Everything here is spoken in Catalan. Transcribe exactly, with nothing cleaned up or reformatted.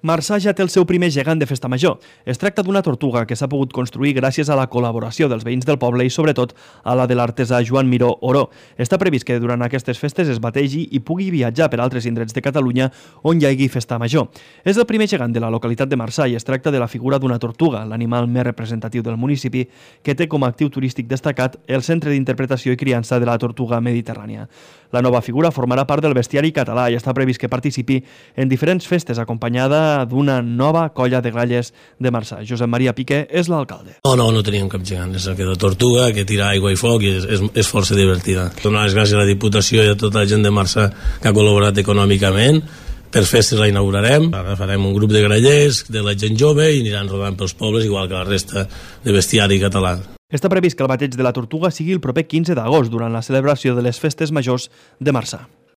Marçà ja té el seu primer gegant de festa major. Es tracta d'una tortuga que s'ha pogut construir gràcies a la col·laboració dels veïns del poble i, sobretot, a la de l'artesà Joan Miró Oró. Està previst que durant aquestes festes es bategi i pugui viatjar per altres indrets de Catalunya on hi hagi festa major. És el primer gegant de la localitat de Marçà i es tracta de la figura d'una tortuga, l'animal més representatiu del municipi, que té com a actiu turístic destacat el Centre d'Interpretació i Criança de la Tortuga Mediterrània. La nova figura formarà part del bestiari català i està previst que participi en diferents festes acompanyada d'una nova colla de gralles de Marçà. Josep Maria Piqué és l'alcalde. No, no, no teníem cap gegant. És aquesta tortuga que tira aigua i foc i és, és, és força divertida. Donar les gràcies a la Diputació i a tota la gent de Marçà que ha col·laborat econòmicament. Per festes la inaugurarem. Ara farem un grup de grallers, de la gent jove i aniran rodant pels pobles igual que la resta de bestiari català. Està previst que el bateig de la tortuga sigui el proper quinze d'agost durant la celebració de les festes majors de Marçà.